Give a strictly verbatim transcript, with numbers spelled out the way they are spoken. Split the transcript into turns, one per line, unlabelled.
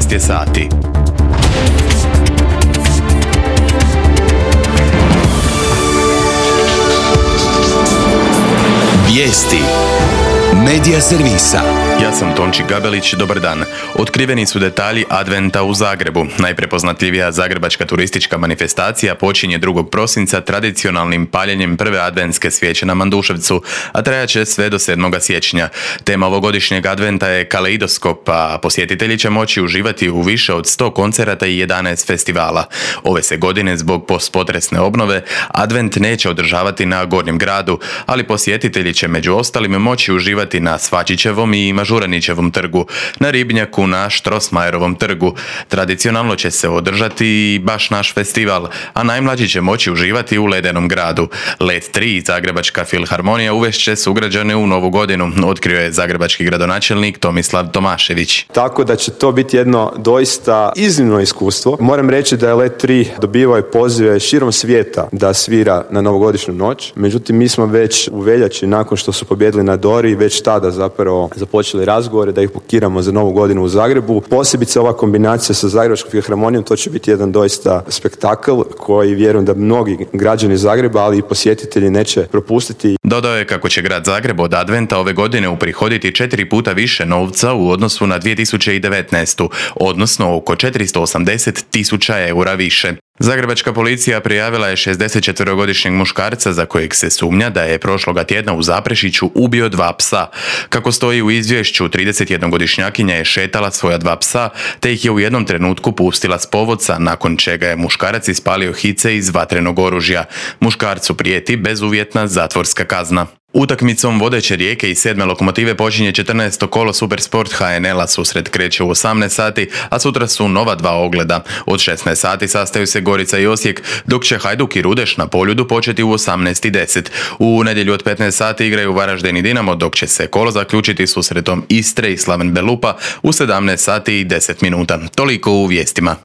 četrnaest je sati. Vijesti Medija servisa. Ja sam Tonči Gabelić, dobar dan. Otkriveni su detalji Adventa u Zagrebu. Najprepoznatljivija zagrebačka turistička manifestacija počinje drugog prosinca tradicionalnim paljenjem prve adventske svijeće na Manduševcu, a trajaće sve do sedmog siječnja. Tema ovogodišnjeg Adventa je kaleidoskop, a posjetitelji će moći uživati u više od sto koncerata i jedanaest festivala. Ove se godine zbog postpotresne obnove Advent neće održavati na Gornjem gradu, ali posjetitelji će među ostalim moći uživati na Svačićevom i Mažuranićevom trgu, na Ribnjaku, na Štrosmajerovom trgu. Tradicionalno će se održati i baš naš festival, a najmlađi će moći uživati u Ledenom gradu. Led tri Zagrebačka filharmonija uvešće sugrađane u novu godinu, otkrio je zagrebački gradonačelnik Tomislav Tomašević.
Tako da će to biti jedno doista iznimno iskustvo. Moram reći da je Led tri dobivao i pozive širom svijeta da svira na novogodišnju noć. Međutim, mi smo već u veljači, nakon što su pobjedili na Dori, već tada zapravo započeli razgovore da ih bukiramo za novu godinu u Zagrebu. Posebice ova kombinacija sa Zagrebačkom filharmonijom, to će biti jedan doista spektakl koji vjerujem da mnogi građani Zagreba, ali i posjetitelji neće propustiti.
Dodao je kako će grad Zagreb od Adventa ove godine uprihoditi četiri puta više novca u odnosu na dvije tisuće devetnaestu, odnosno oko četiristo osamdeset tisuća eura više. Zagrebačka policija prijavila je šezdesetčetverogodišnjeg muškarca za kojeg se sumnja da je prošloga tjedna u Zaprešiću ubio dva psa. Kako stoji u izvješću, tridesetjednogodišnjakinja je šetala svoja dva psa, te ih je u jednom trenutku pustila s povodca, nakon čega je muškarac ispalio hice iz vatrenog oružja. Muškarcu prijeti bezuvjetna zatvorska kazna. Utakmicom vodeće Rijeke i sedme Lokomotive počinje četrnaesto kolo Supersport ha en el-a. Susret kreće u osamnaest sati, a sutra su nova dva ogleda. Od šesnaest sati sastaju se Gorica i Osijek, dok će Hajduk i Rudeš na Poljudu početi u osamnaest i deset. U nedjelju od petnaest sati igraju Varaždin i Dinamo, dok će se kolo zaključiti susretom Istre i Slaven Belupa u sedamnaest sati i deset minuta. Toliko u vijestima.